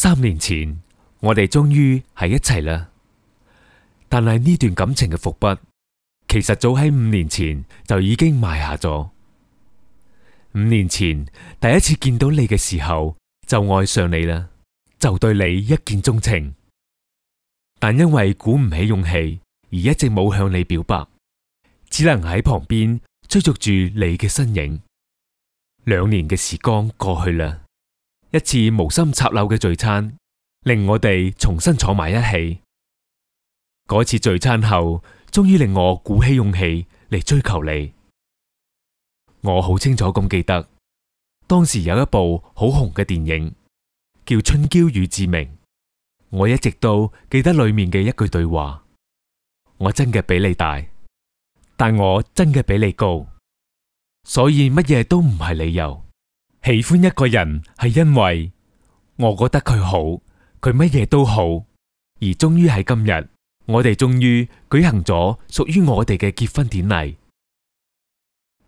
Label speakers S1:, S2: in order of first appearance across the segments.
S1: 3年前，我哋終於喺一齊啦。但係呢段感情嘅伏筆，其實早喺5年前就已經埋下咗。5年前第一次見到你嘅時候，就愛上你啦，就對你一見鍾情。但因為鼓唔起勇氣，而一直冇向你表白，只能喺旁邊追逐住你嘅身影。2年嘅時光過去啦，一次無心插柳嘅聚餐，令我哋重新坐埋一起。嗰次聚餐後，終於令我鼓起勇氣嚟追求你。我好清楚咁記得，當時有一部好紅嘅電影叫《春嬌與志明》，我一直都記得裏面嘅一句對話：我真嘅比你大，但我真嘅比你高，所以乜嘢都唔係理由。喜歡一個人係因為我覺得佢好，佢乜嘢都好，而終於喺今日，我哋終於舉行咗屬於我哋嘅結婚典禮。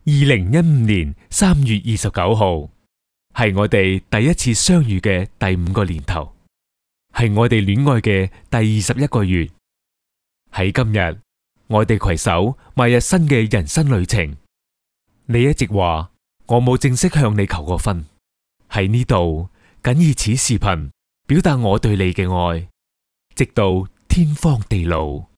S1: 2015年3月29號，係我哋第一次相遇嘅第5個年頭，係我哋戀愛嘅第21個月。喺今日，我哋攜手邁入新嘅人生旅程。你一直話我冇正式向你求過婚，喺呢度僅以此視頻表達我對你嘅愛，直到天荒地老。